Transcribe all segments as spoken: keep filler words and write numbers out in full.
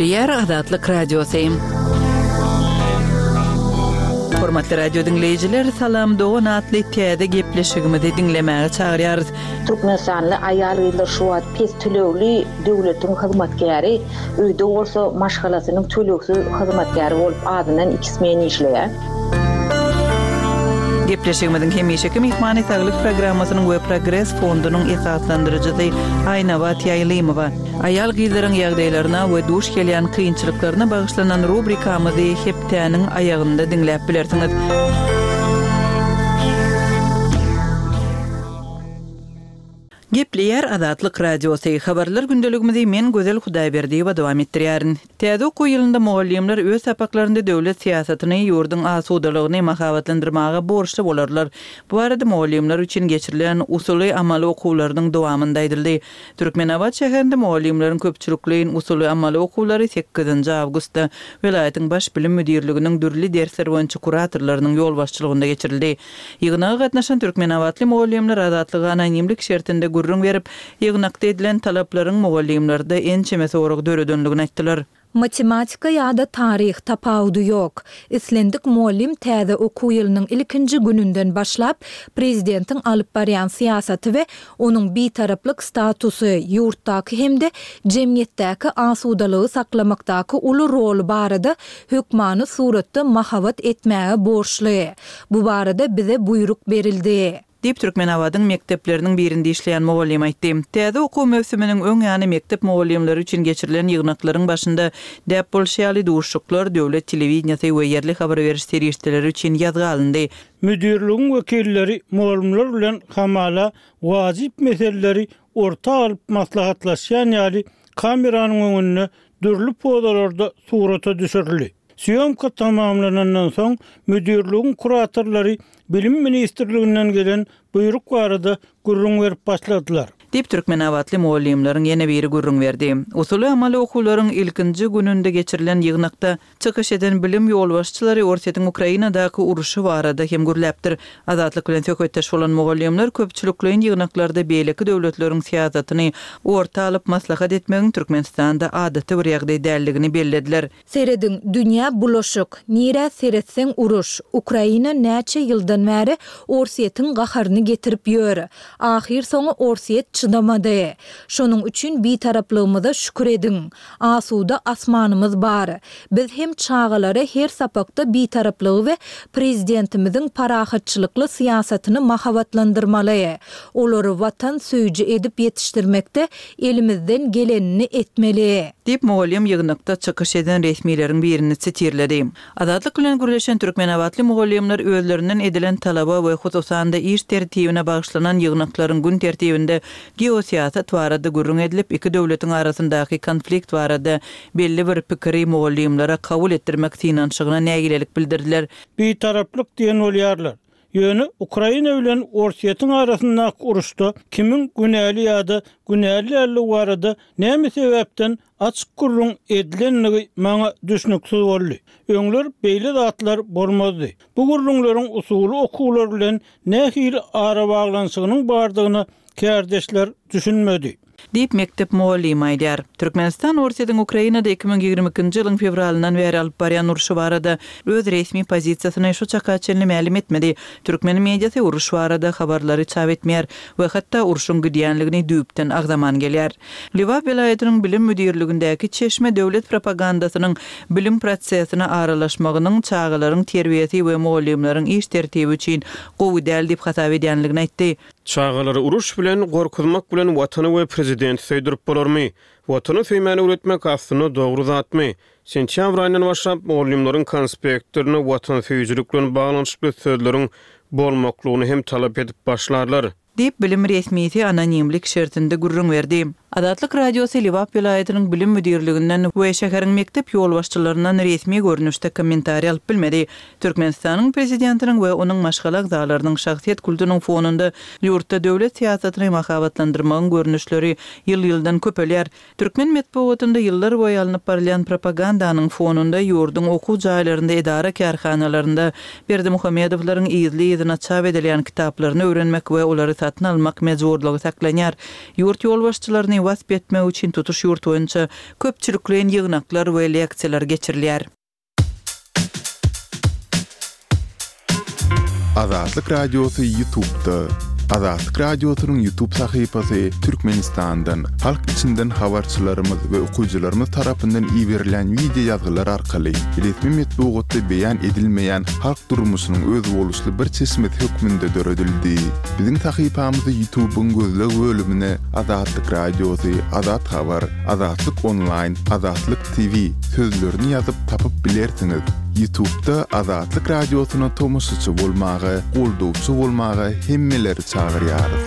Gepleýär Azatlyk Radiosy. Hormatly radio diňleýjiler, Salam dogan atly täze gepleşigimizi diňlemäge çagyrýarys. Türkmenistanly aýal-gyzlar şu wagt pes tölegli döwletiň hyzmatkäri, öýde bolsa maşgalasynyň tölegsiz hyzmatkäri bolup azyndan iki smen işleýär. Gepleşigimiziň hemişeki myhmany Saglyk programmasynyň we Progres fondunyň esaslandyryjysy Aýnabat Ýaýlymowa. Aýal-gyzlaryň ýagdaýlaryna we duş gelýän kynçylyklaryna bagyşlanan rubrikamyzy hepdäniň aýagynda diňläp bilersiňiz. Gepleýär Azatlyk Radiosy. Habarlar gündeligimizi men Gözel Hudaýberdiýewa dowam etdirýärin. Täze okuw ýylynda mugallymlar öz sapaklarynda döwlet syýasatyny, ýurduň asudalygyny mahabatlandyrmaga borçly bolarlar. Bu barada mugallymlar üçin geçirilen usuly-amaly okuwlarynyň dowamynda aýdyldy. Türkmenabat şäherinde mugallymlaryň köpçülikleýin usuly-amaly okuwlary sekizinji awgustda welaýatyň Baş bilim müdirliginiň dürli dersler boýunça kuratorlarynyň ýolbaşçylygynda geçirildi. Ýygnaga gatnaşan türkmenabatly mugallymlar Azatlyga anonimlik şertinde gürrüň berip, ýygnakda edilen talaplaryň mugallymlarda ençeme sorag döredenligini aýtdylar. Matematika ýa-da taryh, tapawudy ýok. Islendik mugallym täze okuw ýylynyň ilkinji gününden başlap, prezidentiň alyp barýan syýasaty we onuň bitaraplyk statusy, ýurtdaky hem-de jemgyýetdäki asudalygy saklamakdaky uly roly barada hökmany suratda mahabat etmäge borçly. Bu barada bize buýruk berildi. Diýip, Türkmenabadyň mekdepleriniň birinde işleýän mugallym aýtdy. Täze okuw möwsüminiň öň ýany mekdep mugallymlary üçin geçirilen ýygnaklaryň başynda däp bolşy ýaly duşuşyklar döwlet telewideniýesi we ýerli habar beriş serişdeleri üçin ýazga alyndy. Müdirligiň wekilleri mugallymlar bilen hamala wajyp meseleleri orta alyp maslahatlaşýan ýaly kameranyň öňünde dürli pozalarda surata düşürildi. Sýomka tamamlanandan soň, müdirligiň kuratorlary Bilim ministrliginden gelen buýruk barada gürrüň berip başladylar. Diýip, türkmenabatly mugallymlaryň ýene biri gürrüň berdi. Usuly-amaly okuwlaryň ilkinji gününde geçirilen ýygnakda çykyş eden bilim ýolbaşçylary Orsýetiň Ukrainadaky urşy barada hem gürläpdir. Azatlyk bilen söhbetdeş bolan mugallymlar köpçülikleýin ýygnaklarda beýleki döwletleriň syýasatyny orta alyp maslahat etmegiň Türkmenistanda adaty bir ýagdaý däldigini bellediler. Serediň, dünýä bulaşyk. Nirä seretseň uruş. Ukraina näçe ýyldan bäri Orsýetiň gaharyny getirip ýör. Ahyrsoňy Orsýet çydamady. Şonuň üçin Bitaraplygymyza şükür ediň. Asuda asmanymyz bar. Biz hem çagalara her sapakda Bitaraplygy we Prezidentimiziň parahatçylykly syýasatyny mahabatlandyrmaly. Olary Watan söýüji edip ýetişdirmekde elimizden gelenini etmeli. Diýip, mugallym ýygnakda çykyş eden resmileriň birini sitirledi. Azatlyk bilen gürleşen türkmenabatly mugallymlar özlerinden edilen talaba we hususan-da iş tertibine bagyşlanan ýygnaklaryň gün tertibinde geosyýasat barada gürrüň edilip, iki döwletiň arasyndaky konflikt barada belli bir pikiri mugallymlara kabul etdirmek synanyşygyna nägilelik bildirdiler. Bitaraplyk diýen bolýarlar. Ýöne Ukraina bilen Orsýetiň arasyndaky uruşda kimiň günäli ýa-da günäli däldigi barada näme sebäpden açyk gürrüň edilendigi maňa düşnüksiz boldy. Öňler beýle zatlar bolmazdy. Bu gürrüňleriň usuly okuwlar bilen nähili arabaglanyşygynyň bardygyna kärdeşler düşünmedi. Diýip, mekdep mugallymy aýdýar. Türkmenistan Orsýetiň Ukrainada iki müň ýigrimi ikinji ýylyň fewralyndan bäri alyp barýan urşy barada öz resmi pozisiýasyny şu çaka çenli mälim etmedi. Türkmen mediasy uruş barada habarlary çap etmeýär we hatda urşuň gidýänligini düýpden agzaman gelýär. Lebap welaýatynyň bilim müdirligindäki çeşme döwlet propagandasynyň bilim prosesine aralaşmagynyň çagalaryň terbiýesi we mugallymlaryň iş tertibi üçin gowy däl diýip hasap edýänligini aýtdy. Çagalary uruş bilen, gorkuzmak bilen Watany we Prezidenti söýdürip bolarmy? Watany söýmäni öwretmek aslynda dogry zatmy? Sentýabr aýyndan başlap mugallymlaryň konspektlerinde watansöýüjilik bilen baglanyşykly sözleriň bolmaklygyny hem talap edip başlarlar. Diýip, bilim resmisi anonimlik şertinde gürrüň berdi. Azatlyk Radiosy Lebap welaýatynyň bilim müdirliginden we şäheriň mekdep ýolbaşçylaryndan resmi görnüşde kommentariý alyp bilmedi. Türkmenistanyň prezidentiniň we onuň maşgala agzalarynyň şahsyýet kultunyň fonunda ýurtda döwlet syýasatyny mahabatlandyrmagyň görnüşleri ýyl-ýyldan köpelýär. Türkmen metbugatynda ýyllar boýy alnyp barylýan propagandanyň fonunda ýurduň okuw jaýlarynda, edara-kärhanalarynda Berdimuhamedowlaryň yzly-yzyna çap edilýän kitaplaryny öwrenmek we olary satmak satyn almak mejburlygy saklanýar. Ýurt ýolbaşçylaryny wasp etmek üçin tutuş ýurt boýunça köpçülikleýin ýygnaklar we leksiýalar geçirilýär. Azatlyk Radiosy YouTube'da. Azatlyk Radiosynyň YouTube sahypasy Türkmenistandan, halk içinden habarçylarymyz we okyjylarymyz tarapyndan iberilen wideo ýazgylar arkaly resmi metbugatda beýan edilmeýän halk durmuşynyň özboluşly bir çeşmesi hökmünde döredildi. Biziň sahypamyzy YouTube'yň gözleg bölümine Azatlyk Radiosy, Azat Habar, Azatlyk Online, Azatlyk T V sözlerini ýazyp tapyp bilersiňiz. YouTube'da Azatlyk Radiosyna tomaşaçy bolmaga, goldawçy bolmaga hemmeleri çagyrýarys.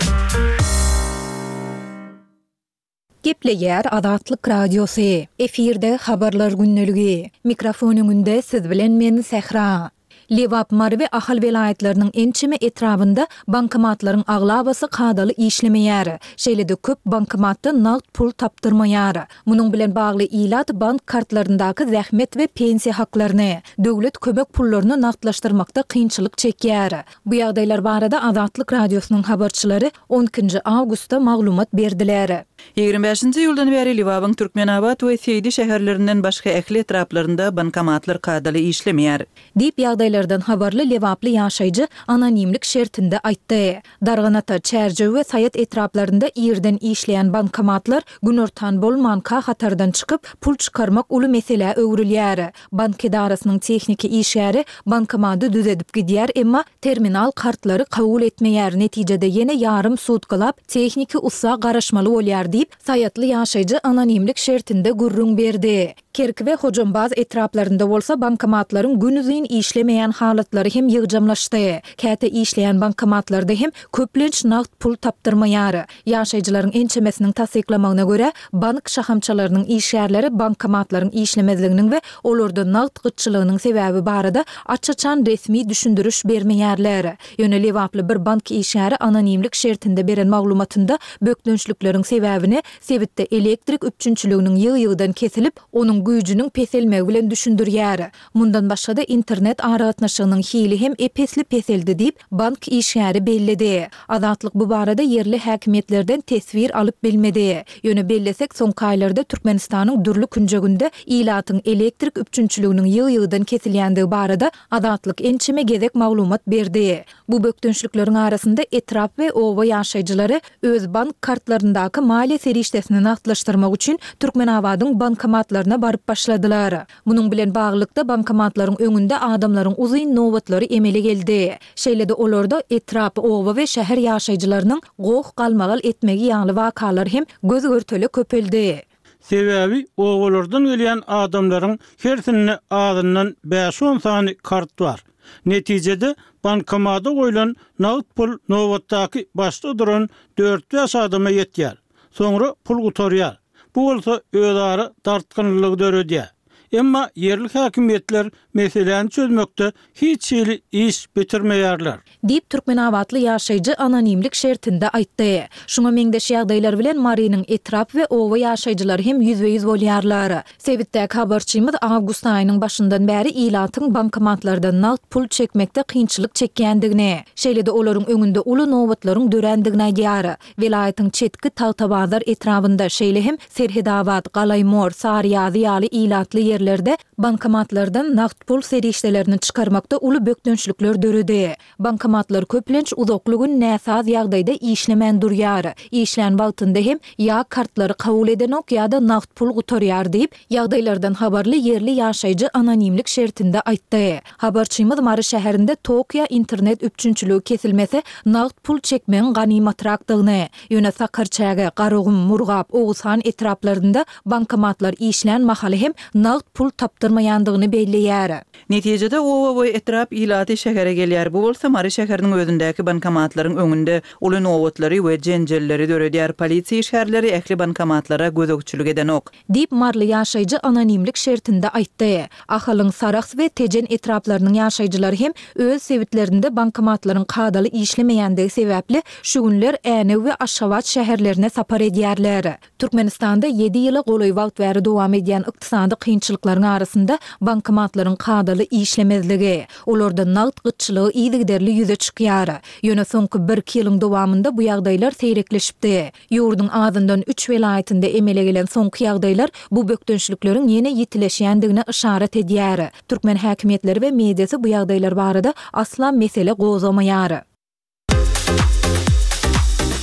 Gepleýär Azatlyk Radiosy. Efirde habarlar gündeligi. Mikrofon öňünde siz bilen men Sähra. Lebap, Mary we Ahal welaýatlarynyň ençeme etrabynda bankomatlaryň aglabasy kadaly işlemeýär. Şeýle-de köp bankomatda nagt pul tapdyrmaýar. Munuň bilen bagly ilat bank kartlaryndaky zähmet we pensiýa haklaryny, döwlet kömek pullaryny nagtlaşdyrmakda kynçylyk çekýär. Bu ýagdaýlar barada Azatlyk Radiosynyň habarçylary on ikinji awgustda maglumat berdiler. Ýigrimi bäşinji ýyldan bäri Lebabyň Türkmenabat we Seýdi şäherlerinden başga ähli etraplarynda bankomatlar kadaly işlemeýär. Diýip ýagdaýlardan habarly Lebaply ýaşaýjy anonimlik şertinde aýtdy. Darganata, Çärjew we Saýat etraplarynda ýerden işleýän bankomatlar günortan bolmanka hatardan çykyp, pul çykarmak uly meselä öwrülýär. Bank edarasynyň tehniki işgäri bankomady düzedip gidýär, emma terminal kartlary kabul etmeýär. Netijede ýene ýarym sutkalap tehniki ussa garaşmaly bolýar diýip, Saýatly ýaşaýjy anonimlik şertinde gürrüň berdi. Kerki we Hojambaz etraplarynda bolsa bankomatlaryň günüzin işlemeýän halatlary hem ýygjamlaşdy. Käte işleýän bankomatlarda hem köplenç nagt pul tapdyrmaýar. Ýaşaýjylaryň ençemesiniň tassyklamagyna görä, bank şahamçalarynyň işgärleri bankomatlaryň işlemezliginiň we olarda nagt gytçylygynyň sebäbi barada aç-açan resmi düşündiriş bermeýärler. Ýöne Lebaply bir bank işgäri anonimlik şertinde beren maglumatynda bökdençlikleriň sebäbini sebitde elektrik üpjünçiliginiň ýygy-ýygydan kesilip, onuň güýjüniň peselmegi bilen düşündirýär. Mundan başga-da internet aragatnaşygynyň hili hem epesli peseldi diýip, bank işgäri belledi. Azatlyk bu barada ýerli häkimiýetlerden teswir alyp bilmedi. Ýöne bellesek, soňky aýlarda Türkmenistanyň dürli künjeginde ilatyň elektrik üpjünçiliginiň ýygy-ýygydan kesilýändigi barada Azatlyk ençeme gezek maglumat berdi. Bu bökdençlikleriň arasynda etrap we oba ýaşaýjylary öz bank kartlaryndaky maliýe serişdesini nagtlaşdyrmak üçin Türkmenabadyň bankomatlaryna baryp başladylar. Munuň bilen baglylykda bankomatlaryň öňünde adamlaryň uzyn nobatlary emele geldi. Şeýle-de olarda etrap, oba we şäher ýaşaýjylarynyň goh galmagal etmegi ýaly wakalar hem göz görtele köpeldi. Sebäbi obalardan gelýän adamlaryň hersinde azyndan bäş on sany kart bar. Netijede bankomada goýlan nagt pul nobatdaky başda duran dört bäş adama ýetýär. Soňra pul gutarýar. Bu bolsa özara dartgynlygy döredýär. Emma ýerli häkimiýetler meseläni çözmekde hiç hili iş bitirmeýärler. Diýip Türkmenabatly ýaşaýjy anonimlik şertinde aýtdy. Şuňa meňzeş ýagdaýlar bilen Marynyň etrap we oba ýaşaýjylary hem ýüzbe-ýüz bolýarlar. Sebitdäki habarçymyz awgust aýynyň başyndan bäri ilatyň bankomatlardan nagt pul çekmekde kynçylyk çekýändigini, şeýle-de olaryň öňünde uly nobatlaryň dörändigini aýdýar. Welaýatyň çetki Tagtabazar etrabynda, şeýle hem Serhedabat, Galaýmor, Saryýazy ýaly ilatly ýerlerde bankomatlardan nagt pul serişdelerini çykarmakda uly bökdençlikler döredi. Bankomatlar köplenç uzakly gün näsaz ýagdaýda işlemän durýar. Işlän wagtynda hem ýa kartlary kabul edenok ýa-da nagt pul gutarýar diýip, ýagdaýlardan habarly ýerli ýaşaýjy anonimlik şertinde aýtdy. Habarçymyz Mary şäherinde Tokio internet üpjünçiligi kesilmese nagt pul çekmegiň ganymatrakdygyny, ýöne Sakarçäge, Garagum, Murgap, Oguzhan etraplarynda bankomatlar işlän mahaly hem nagt pul tapdyrmaýandygyny belleýär. Netijede oba we etrap ilaty şähere gelýär. Bu bolsa Mary şäheriniň özündäki bankomatlaryň öňünde uly nobatlary we jenjelleri döredýär. Polisiýa işgärleri ähli bankomatlara gözegçilik edenok. Diýip Marly ýaşaýjy anonimlik şertinde aýtdy. Ahalyň Sarahs we Tejen etraplarynyň ýaşaýjylary hem öz sebitlerinde bankomatlaryň kadaly işlemeýändigi sebäpli şu günler Änew we Aşgabat şäherlerine sapar edýärler. Türkmenistanda ýedi ýyla golaý wagt bäri dowam edýän ykdysady kynçylyklar Kynçylyklaryň arasynda bankomatlaryň kadaly işlemezligi, olarda nagt gytçylygy yzygiderli ýüze çykýar. Ýöne soňky birki ýylyň dowamynda bu ýagdaýlar seýrekleşipdi. Ýurduň azyndan üç welaýatynda emele gelen soňky ýagdaýlar bu bökdençlikleriň ýene ýitileşýändigine yşarat edýär. Türkmen häkimiýetleri we mediasy bu ýagdaýlar barada asla mesele gozgamaýar.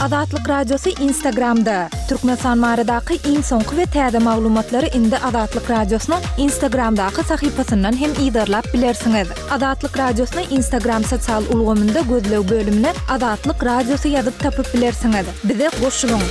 Azatlyk Radiosy Instagramda, Türkmenistan baradaky iň soňky we täze maglumatlary indi Azatlyk Radiosynyň Instagramdaky sahypasyndan hem yzarlap bilersiňiz. Azatlyk Radiosyny Instagram sosial ulgamynda gözleg bölümine Azatlyk Radiosy ýazyp tapyp bilersiňiz. Bize goşulyň!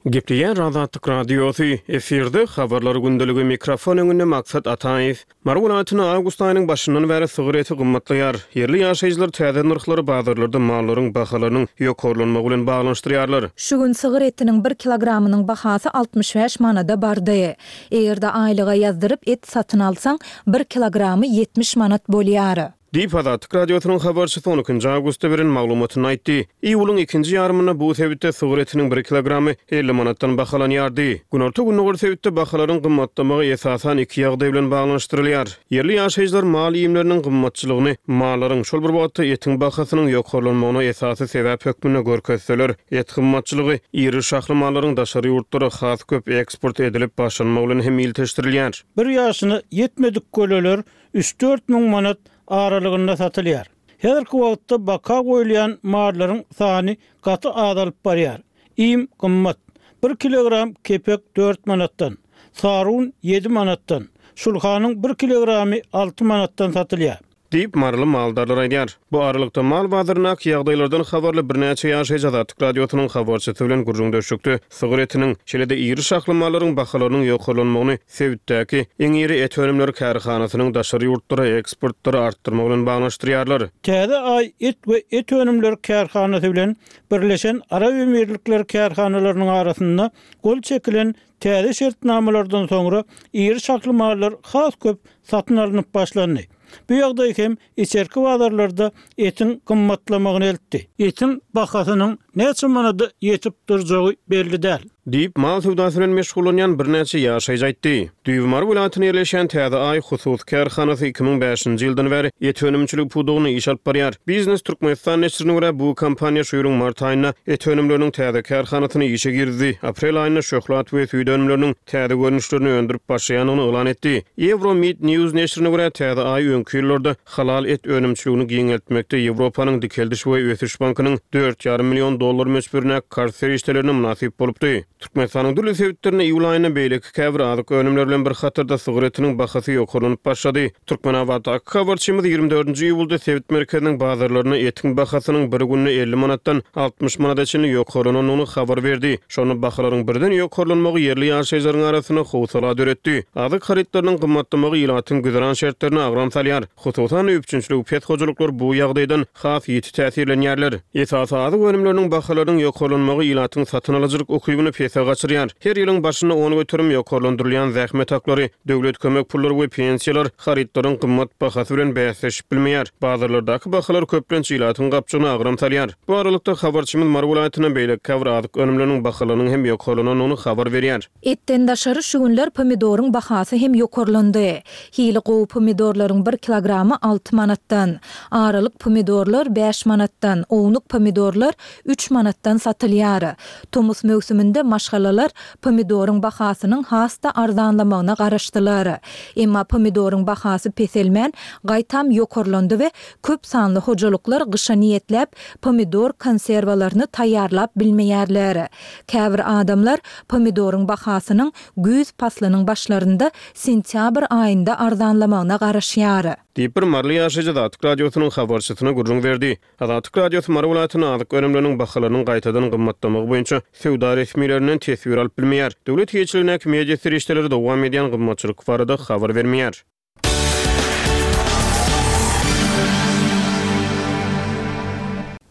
Gepleýär Azatlyk Radiosy, efirde Habarlar gündeligi, mikrofon öňünde Maksat Ataýew. Mary welaýatynda awgust aýynyň başyndan bäri sygyr eti gymmatlaýar. Ýerli ýaşaýjylar täze nyrhlary bazarlarda mallaryň bahalarynyň ýokarlanmagy bilen baglanyşdyrýarlar. Şu gün sygyr etiniň bir kilogramynyň bahasy altmyş bäş manada bardy. Eger-de aýlyga ýazdyryp et satyn alsaň, bir kilogramy ýetmiş manat bolýar. Diýip, Azatlyk Radiosynyň habarçysy on ikinji awgustda beren maglumatynda aýtdy. Iýulyň ikinji ýarymynda bu sebitde sygyr etiniň bir kilogramy elli manatdan bahalanýardy. Günorta-gündogar sebitde bahalaryň gymmatlamagy esasan iki ýagdaý bilen baglanyşdyrylýar. Ýerli ýaşaýjylar mal iýmleriniň gymmatçylygyny mallaryň, şol bir wagtda etiň bahasynyň ýokarlanmagyna esasy sebäp hökmünde görkezseler, et gymmatçylygy iri şahly mallaryň daşary ýurtlara has köp eksport edilip başlanmagy bilen hem ilteşdirilýär. Bir ýaşyna ýetmedik göleler üç-dört müň manat aralygynda satylýar. Häzirki wagtda baka goýulýan mallaryň sany gaty azalyp barýar. Iým gymmat. Bir kilogram kepek dört manatdan, sarun ýedi manatdan, şulhanyň bir kilogramy alty manatdan satylýar. Diýip, maryly maldarlar aýdýar. Bu aralykda, mal bazaryndaky ýagdaýlardan habarly birnäçe ýaşaýjy Azatlyk Radiosynyň habarçysy bilen gürrüňdeşlikde sygyr etiniň, şeýle-de iri şahly mallaryň bahalarynyň ýokarlanmagyny sebitdäki iň iri et önümleri kärhanasynyň daşary ýurtlara eksportlary artdyrmagy bilen baglanyşdyrýarlar. Täze Aý et we et önümleri kärhanasy bilen Birleşen Arap Emirlikleri kärhanalarynyň arasynda gol çekilen täze şertnamalardan soňra iri şahly mallar has köp satyn alnyp başlandy. Bu ýagdaý hem içerki bazarlarda etiň gymmatlamagyna eltdi. Etiň bahasynyň näçe manada ýetip durjagy belli däl. Diýip, mal söwdasy bilen meşgullanýan birnäçe ýaşaýjy aýtdy. Düýbi Mary welaýatynda ýerleşýän Täze Aý hususy kärhanasy iki müň bäşinji ýyldan bäri et önümçiligi pudagynda iş alyp barýar. Biznes Türkmenistan neşirine görä, bu kompaniýa şu ýylyň mart aýynda et önümleriniň täze kärhanasyny işe girizdi, aprel aýynda şöhlat we süýt önümleriniň täze görnüşlerini öndürip başlaýandygyny yglan etdi. Euromeat News neşirine görä, Täze Aý öňki ýyllarda halal et önümçiligini giňeltmekde Ýewropanyň Dikeldiş we ösüş bankynyň dört ýarym million dollar möçberindäki karz serişdelerine mynasyp bolupdy. Türkmenistanyň dürli sebitlerinde iýul aýynda beýleki käbir azyk önümleri bilen bir hatarda sygyr etiniň bahasy ýokarlanyp başlady. Türkmenabatdaky habarçymyz ýigrimi dördünji iýulda sebit merkeziniň bazarlarynda etiň bahasynyň bir günde elli manatdan altmyş manada çenli ýokarlanandygyny habar berdi. Şonda bahalaryň birden ýokarlanmagy ýerli ýaşaýjylaryň arasynda howsala döretdi. Azyk harytlarynyň gymmatlamagy ilatyň güzeran şertlerine agram salýar. Hususan-da, üpjünçiligi pes hojalyklar bu ýagdaýdan has ýiti täsirlenýärler. Esasy azyk önümleriniň bahalarynyň ýokarlanmagy ilatyň satyn alyjylyk ukybyny pese gaçyrýar. Her ýylyň başynda on göterim ýokarlandyrylýan zähmet haklary, döwlet kömek pullary we pensiýalar harytlaryň gymmat bahasy bilen bäsleşip bilmeýär. Bazarlardaky bahalar köplenç ilatyň gapjygyna agram salýar. Bu aralykda, habarçymyz Mary welaýatynda beýleki käbir azyk önümleriniň bahalarynyň hem ýokarlanandygyny habar berýär. Etden daşary şu günler pomidoryň bahasy hem ýokarlandy. Hili gowy pomidorlaryň bir kilogramy alty manatdan, aralyk pomidorlar bäş manatdan, ownuk pomidorlar üç manatdan satylýar. Tomus möwsüminde maşgalalar pomidoryň bahasynyň has-da arzanlamagyna garaşdylar. Emma pomidoryň bahasy peselmän, gaýtam ýokarlandy we köp sanly hojalyklar gyşa niýetläp pomidor konserwalaryny taýýarlap bilmeýärler. Käbir adamlar pomidoryň bahasynyň güýz paslynyň başlarynda sentýabr aýynda arzanlamagyna garaşýar. Diýip, bir maryly ýaşaýjy Azatlyk Radiosynyň habarçysyna gürrüň berdi. Azatlyk Radiosy Mary welaýatynda azyk önümleriniň bahalarynyň gaýtadan gymmatlamagy boýunça söwda resmilerinden teswir alyp bilmeýär. Döwlet eýeçiligindäki media serişdeleri dowam edýän gymmatçylyk barada habar bermeýär.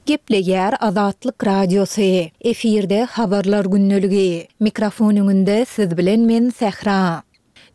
Gepleýär Azatlyk Radiosy, efirde Habarlar gündeligi. Mikrofon öňünde siz bilen men Sähra.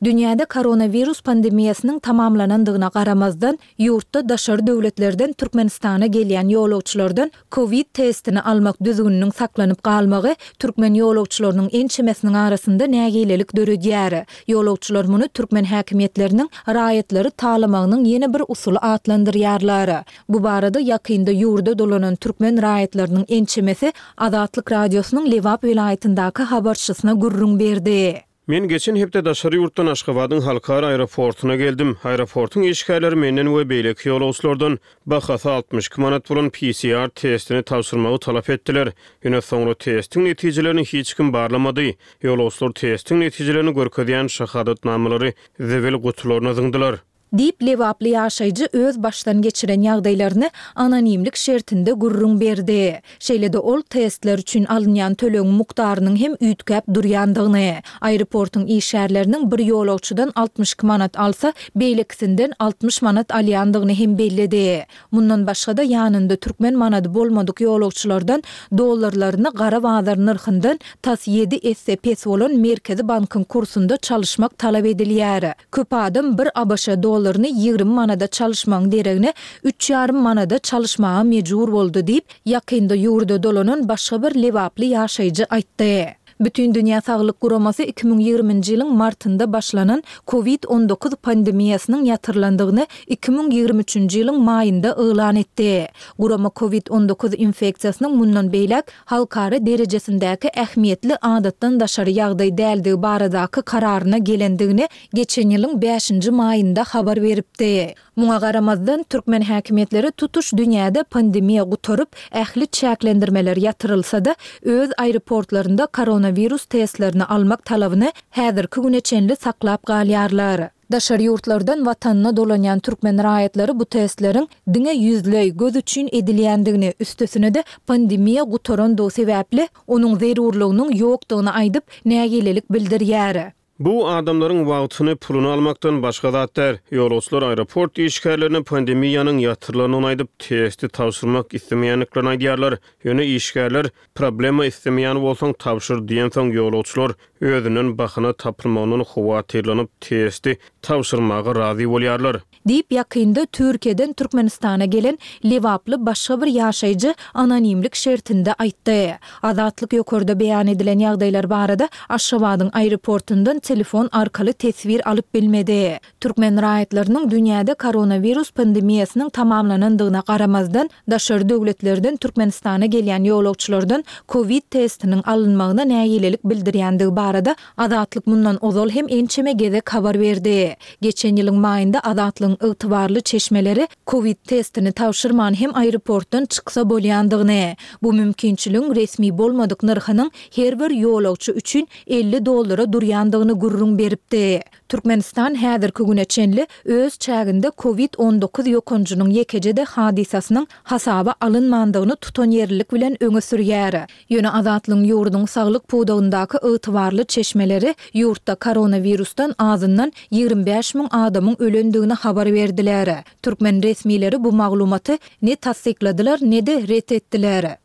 Dünýäde koronawirus pandemiýasynyň tamamlanandygyna garamazdan, ýurtda daşary döwletlerden Türkmenistana gelýän ýolagçylardan kowid testini almak düzgüniniň saklanyp galmagy türkmen ýolagçylarynyň ençemesiniň arasynda nägilelik döredýär. Ýolagçylar muny türkmen häkimiýetleriniň raýatlary talamagynyň ýene bir usuly atlandyrýarlar. Bu barada ýakynda ýurda dolanan türkmen raýatlarynyň ençemesi Azatlyk Radiosynyň Lebap welaýatyndaky habarçysyna gürrüň berdi. Men geçen hepde daşary ýurtdan Aşgabadyň halkara aeroportuna geldim. Aeroportuň işgärleri menden we beýleki ýolagçylardan bahasy altmyş iki manat bolan P C R testini tabşyrmagy talap etdiler. Ýöne soňra testiň netijelerini hiç kim barlamady. Ýolagçylar testiň netijelerini görkezýän şahadatnamalary zibil gutularyna zyňdylar. Diýip, lebaply ýaşaýjy öz başdan geçiren ýagdaýlaryny anonimlik şertinde gürrüň berdi. Şeýle-de ol testler üçin alynýan tölegiň mukdarynyň hem üýtgäp durýandygyny, aeroportuň işgärleriniň bir ýolagçydan altmyş iki manat alsa, beýlekisinden altmyş manat alýandygyny hem belledi. Mundan başga-da ýanynda türkmen manady bolmadyk ýolagçylardan dollarlaryny gara bazar nyrhyndan tas ýedi esse pes bolan Merkezi bankyň kursunda çalyşmak talap edilýär. Köp adam bir A B Ş dollaryny ýigrimi manada çalyşmagyň deregine üç ýarym manada çalyşmaga mejbur boldy diýip, ýakynda ýurda dolanan başga bir lebaply ýaşaýjy aýtdy. Bütindünýä Saglyk Guramasy iki müň ýigriminji ýylyň martynda başlanan kowid on dokuz pandemiýasynyň ýatyrylandygyny iki müň ýigrimi üçünji ýylyň maýynda yglan etdi. Gurama kowid on dokuz infeksiýasynyň mundan beýläk halkara derejesindäki ähmiýetli adatdan daşary ýagdaý däldigi baradaky kararyna gelendigini geçen ýylyň bäşinji maýynda habar beripdi. Muňa garamazdan, türkmen häkimiýetleri tutuş dünýäde pandemiýa gutaryp, ähli çäklendirmeler ýatyrylsa-da, öz aeroportlarynda koronawirus testlerini almak talabyny häzirki güne çenli saklap galýarlar. Daşary ýurtlardan watanyna dolanýan türkmen raýatlary bu testleriň diňe ýüzleý, göz üçin edilýändigini, üstesine-de pandemiýa gutarandygy sebäpli onuň zerurlygynyň ýokdugyny aýdyp, nägilelik bildirýär. Bu adamlaryň wagtyny, puluny almakdan başga zat däl. Ýolagçylar aeroport işgärlerine pandemiýanyň ýatyrylandygyny aýdyp, testi tabşyrmak islemeýändiklerini aýdýarlar. Ýöne işgärler problema islemeýän bolsaň tabşyr diýensoň ýolagçylar özünden bahana tapylmagyndan howatyrlanyp testi tabşyrmaga razy bolýarlar. Diýip, ýakynda Türkiýeden Türkmenistana gelen lebaply başga bir ýaşaýjy anonimlik şertinde aýtdy. Azatlyk ýokarda beýan edilen ýagdaýlar barada Aşgabadyň aeroportundan telefon arkaly teswir alyp bilmedi. Türkmen raýatlarynyň dünýäde koronawirus pandemiýasynyň tamamlanandygyna garamazdan, daşary döwletlerden Türkmenistana gelýän ýolagçylardan kowid testiniň alynmagyna nägilelik bildirýändigi barada Azatlyk mundan ozal hem ençeme gezek habar berdi. Geçen ýylyň maýynda Azatlygyň ygtybarly çeşmeleri kowid testini tabşyrman hem aeroportdan çyksa bolýandygyny, bu mümkinçiligiň resmi bolmadyk nyrhynyň her bir ýolagçy üçin elli dollara durýandygyny gürrüň beripdi. Türkmenistan häzirki güne çenli öz çäginde kowid on dokuz ýokanjynyň ýekeje-de hadysasynyň hasaba alynmandygyny tutanýerlilik bilen öňe sürýär. Ýöne Azatlygyň ýurduň saglyk pudagyndaky ygtybarly çeşmeleri ýurtda koronawirusdan azyndan ýigrimi bäş müň adamyň ölendigini habar berdiler. Türkmen resmileri bu maglumaty ne tassykladylar, ne-de ret etdiler.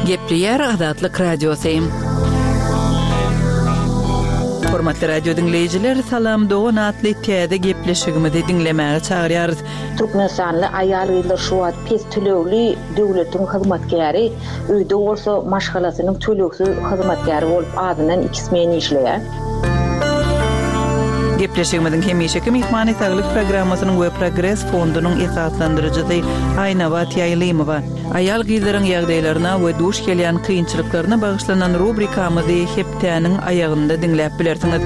Gepleýär Azatlyk Radiosy. Hormatly radio diňleýjiler, Salam Dogan atly täze gepleşigimizi diňlemäge çagyrýarys. Türkmenistanly aýal-gyzlar şu wagt pes tölegli döwletiň hyzmatkäri, öýde bolsa maşgalasynyň tölegsiz hyzmatkäri bolup azyndan iki smen işleýär. Gepleşigimiziň hemişeki myhmany saglyk programmasynyň we Progres fondunyň esaslandyryjysy Aýnabat Ýaýlymowa. Aýal-gyzlaryň ýagdaýlaryna we duş gelýän kynçylyklaryna bagyşlanan rubrikamyzy hepdäniň aýagynda diňläp bilersiňiz.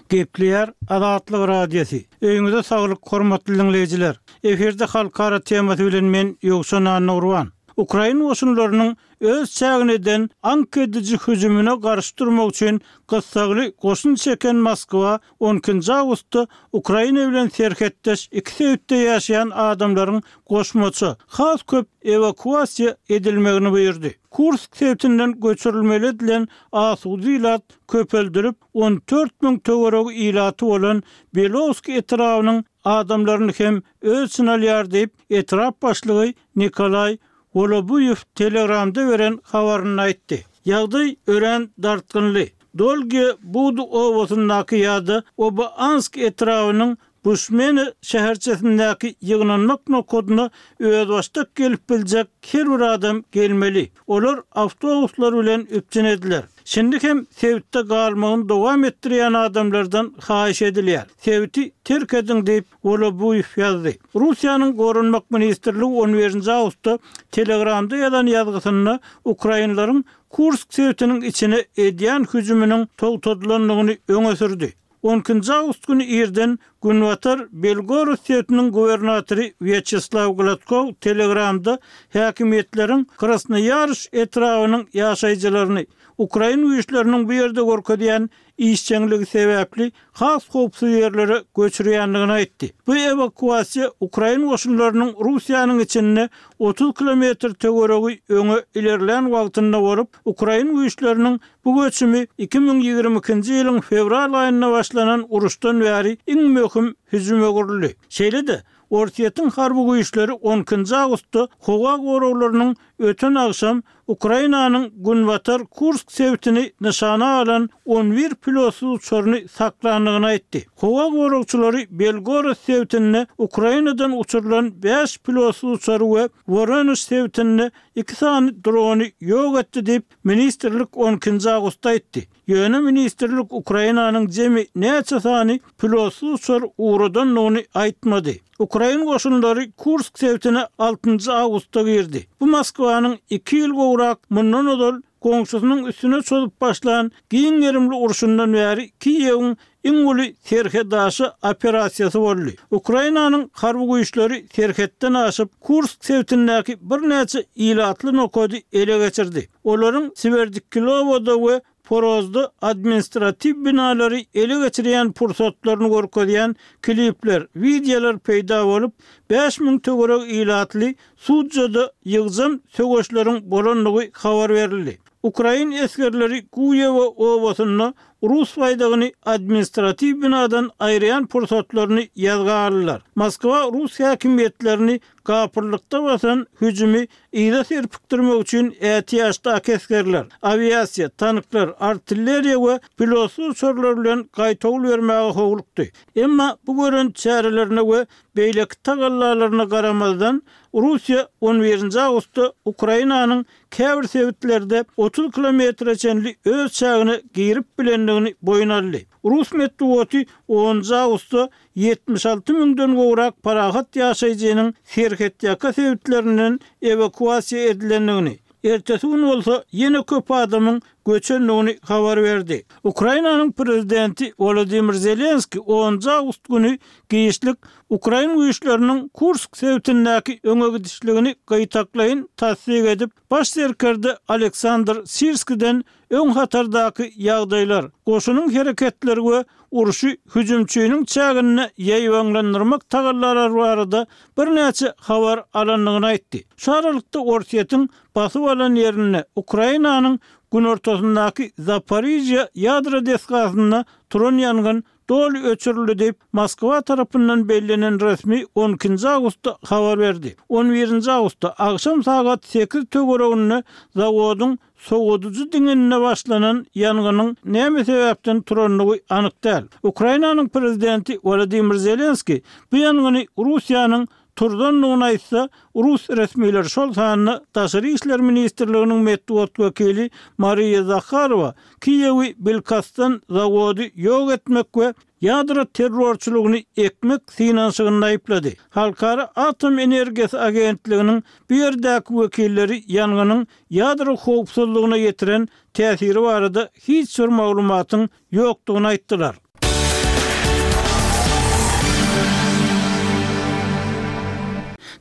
Gepleýär Azatlyk Radiosy. Öýüňize saglyk hormatly dinleýjiler. Efirde halkara temasy bilen men Ýowşan Annurwan. Ukraina goşunlarynyň öz çägine eden aňk ediji hüjümine garşy durmak üçin gyssagly goşun çeken Moskwa on ikinji awgustda Ukraina bilen serhetdeş iki sebitde ýaşaýan adamlaryň goşmaça has köp ewakuasiýa edilmegini buýurdy. Kursk sebitinden göçürilmeli edilen asuda ilat köpeldirip on dört müň töweregi ilaty bolan Belowsk etrabynyň adamlaryny hem öz içine alýar diýip, etrap başlygy Nikolaý Wolobuýew Telegramda beren habarynda aýtdy. Ýagdaý örän dartgynly. Dolgiýe Budy obasyndaky ýa-da Oba-Ansk etrabynyň Buşmena şäherçesindäki ýygnanmak nokadyna özbaşdak gelip biljek her bir adam gelmeli. Olar awtobuslar bilen üpjün ediler. Şindi hem sebitde galmagyny dowam etdirýän adamlardan haýyş edilýär. Sebiti terk ediň diýip, Wolobuýew ýazdy. Russiýanyň Goranmak ministrligi on birinji awgustda Telegramda ýazan ýazgysynda ukrainleriň Kursk sebitiniň içine edýän hüjüminiň togtadylandygyny öňe sürdi. On ikinji awgust güni irden Günbatar Belgorod sebitiniň gubernatory Wýaçeslaw Gladkow Telegramda häkimiýetleriň Krasnoýarsk etrabynyň ýaşaýjylaryny ukrain güýçleriniň bu ýerde görkezýän işjeňligi sebäpli has howpsuz ýerlere göçürýändigini aýtdy. Bu ewakuasiýa ukrain goşunlarynyň Russiýanyň içinde otuz kilometr töweregi öňe ilerlän wagtynda bolup, ukrain güýçleriniň bu göçümi iki müň ýigrimi ikinji ýylyň fewral aýynda başlanan uruşdan bäri iň möhüm hüjüme öwrüldi. Şeýle-de, Orsýetiň harby güýçleri on ikinji awgustda howa goraglarynyň öten agşam Ukrainanyň günbatar Kursk sebitini nyşana alan on bir pilotsyz uçaryny saklandygyny aýtdy. Howa goragçylary Belgorod sebitinde Ukrainadan uçurylan bäş pilotsyz uçary we Woronež sebitinde iki sany drony ýok etdi diýip, ministrlik on ikinji awgustda aýtdy. Ýöne ministrlik Ukrainanyň jemi näçe sany pilotsyz uçar ugradandygyny aýtmady. Ukrain goşunlary Kursk sebitine altynjy awgustda girdi. Bu Moskwanyň iki ýyl gowrak mundan ozal goňşusynyň üstüne çozup başlan giň gerimli urşundan bäri Kiýewiň iň uly serhetaşa operasiýasy boldy. Ukrainanyň harby güýçleri serhetden aşyp, Kursk sebitindäki birnäçe ilatly nokady ele geçirdi. Olaryň Swerdkilowoda we Porozda administratiw binalary ele geçirýän pursatlaryny görkezýän klipler, wideolar peýda bolup, bäş müň töweregi ilatly Sudjada ýygjam söweşleriň bolandygy habar berildi. Ukrain esgerleri Guýewo obasynda rus baýdagyny administratiw binadan aýyrýan pursatlaryny ýazga aldylar. Moskwa rus häkimiýetlerini gapyrlykda basan hüjümi yza serpikdirmek üçin ätiýaçdaky esgerler, awiasiýa, tanklar, artilleriýa we pilotsyz uçarlar bilen gaýtawul bermäge howlukdy. Emma bu gören çärelerine we beýleki tagallalaryna garamazdan, Russiýa on birinji awgustda Ukrainanyň käbir sebitlerde otuz kilometre çenli öz çägine girip bilendigini boýun aldy. Rus metbugaty onunjy awgustda ýetmiş alty müňden gowrak parahat ýaşaýjynyň serhetýaka sebitlerinden ewakuasiýa edilendigini, ertesi gün bolsa ýene köp adamyň göçendigini habar berdi. Ukrainanyň prezidenti Wolodymyr Zelenskiý onunjy awgust güni giçlik ukrain güýçleriniň Kursk sebitindäki öňe gidişligini gytaklaýyn tassyk edip, baş serkerde Aleksandr Sirskiden öň hatardaky ýagdaýlar, goşunyň hereketleri we urşy hüjümçiniň çäginde ýaýbaňlandyrmak tagallalary barada birnäçe habar alandygyny aýtdy. Şu aralykda Orsýetiň basyp alan ýerinde Ukrainanyň günortasyndaky Zaporižýa ýadro desgasynda turan ýangyn doly öçürildi diýip, Moskwa tarapyndan bellenen resmi on ikinji awgustda habar berdi. On birinji awgustda agşam sagat sekiz töwereginde zawodyň sowadyjy diňinde başlanan ýangynyň näme sebäpden turandygy anyk däl. Ukrainanyň prezidenti Wolodymyr Zelenskiý bu ýangyny Russiýanyň turzandygyny aýtsa, rus resmileri, şol sanda Daşary işler ministrliginiň metbugat wekili Mariýa Zaharowa Kiýewi bilkastdan zawody ýok etmek we ýadro terrorçylygyny ekmek synanyşygynda aýyplady. Halkara atom energiýasy agentliginiň bu ýerdäki wekilleri ýangynyň ýadro howpsuzlygyna ýetiren täsiri barada hiç bir maglumatyň ýokdugyny aýtdylar.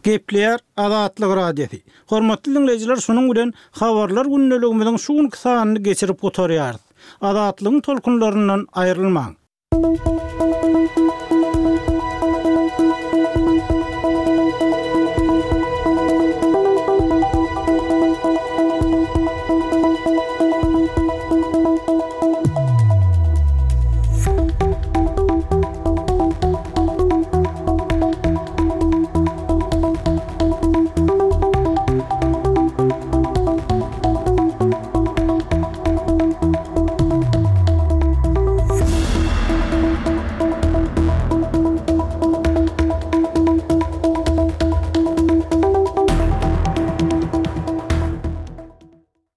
Gepleýär Azatlyk Radiosy. Hormatly dinleýjiler, şunuň bilen habarlar gündeligimiziň şu günki sanyny geçirip gutarýarys. Azatlygyň tolkunlaryndan aýrylmaň.